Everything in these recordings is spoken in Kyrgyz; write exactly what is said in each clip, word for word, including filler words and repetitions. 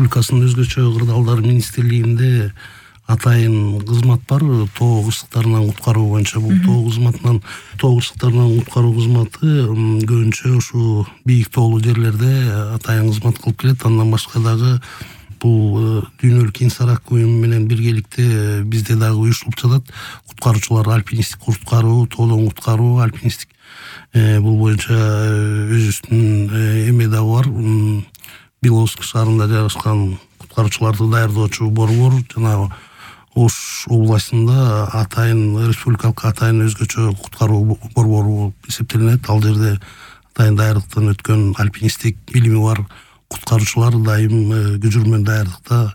Республикасынын өзгөчө кырдаалдар министрлигинде атайын кызмат бар. Тоо кырсыктарынан куткаруу боюнча бул тоо кызматынан тоо кырсыктарынан куткаруу кызматы көбүнчө ушу бийик тоолуу жерлерде атайын кызмат кылып келет. Андан башка дагы бул дүйнөлүк инсар акуюму менен биргеликте бизде дагы уюштурулуп жатат. Куткаруучулар альпинисттик куткаруу, тоодон куткаруу, альпинисттик бул боюнча өзүбүздүн эме дагы бар. Беловодск шаарында жайгашкан куткаруучуларды даярдоочу борбор жана Ош областында атайын республикалык атайын өзгөчө куткаруу борбору болуп эсептелинет. Ал жерде атайын даярдыктан өткөн альпинисттик билими бар куткаруучулар дайым көчүрмө даярдыкта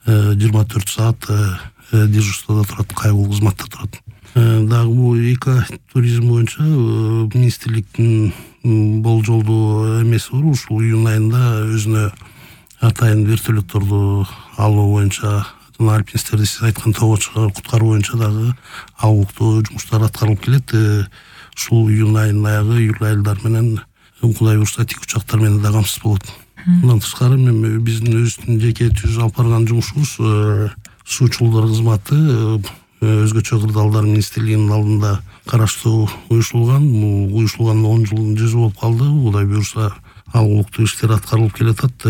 жыйырма төрт саат дежурстводо турат, кайгылуу кызматта турат. Дагы бул эко туризм боюнча министрликтин болжолдуу эмеси бар. Ушул июнь айында өзүнө атайын вертолетторду алуу боюнча жана альпинисттерди сиз айткан тоого куткаруу боюнча дагы алгылыктуу жумуштар аткарылып келет. Ушул июнь айынын аягы июль айылдар менен Кудай буюрса тик учактар менен да камсыз болот. Мындан тышкары мен биздин өзүбүздүн жеке түзүп алып барган жумушубуз суучулдар кызматы өзгөчө кырдаалдар министрлигинин алдында караштуу уюштурулган. Бул уюштурулганына он жылдын жүзү болуп калды. Кудай буюрса алгылыктуу иштер аткарылып келатат.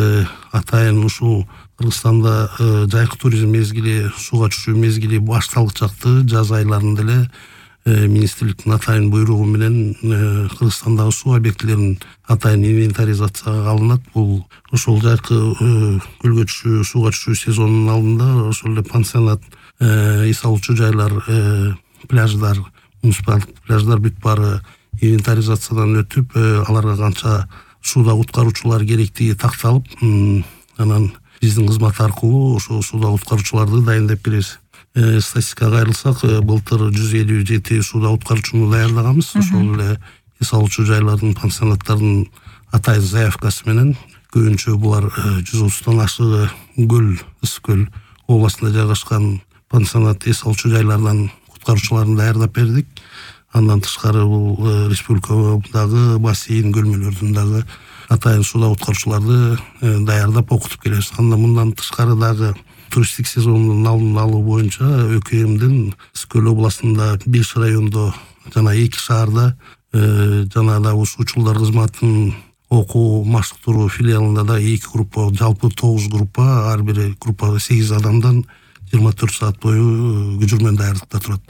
Атайын ушул Кыргызстанда жайкы туризм мезгили, сууга түшүү мезгили башталгы чакты жаз айларында эле министрликтин атайын буйругу менен Кыргызстандагы суу объектилерин атайын инвентаризацияга алынат. Бул ошол жайкы көлгө түшүү, сууга түшүү сезонунун алдында ошол эле пансионат, эс алуучу жайлар, пляждар, муниципалдык пляждар бүт баары инвентаризациядан өтүп, аларга канча сууда куткаруучулар керектиги такталып, анан биздин кызмат аркылуу ошо сууда куткаруучуларды дайындап беребиз. Статистикага кайрылсак, былтыр жүз элүү жети сууда куткаруучуну даярдаганбыз. Ошол эле эс алуучу жайлардын, пансионаттардын атайын заявкасы менен көбүнчө булар жүз отуздан ашыгы көл, ысык көл областында жайгашкан пансионат, эс алуучу жайлардан куткаруучуларын даярдап бердик. Андан тышкары бул республикадагы бассейн көлмөлөрдүн дагы атайын сууда куткаруучуларды даярдап окутуп келебиз. Андан мындан тышкары дагы туристтик сезондун алдын алуу боюнча ӨКМдин Ысык-Көл областында беш райондо жана эки шаарда жана да суучулдар кызматынын окуу маштыктыруу филиалында да эки группа, жалпы тогуз группа, ар бири группада сегиз адамдан жыйырма төрт саат бою көчүрмө даярдыкта турат.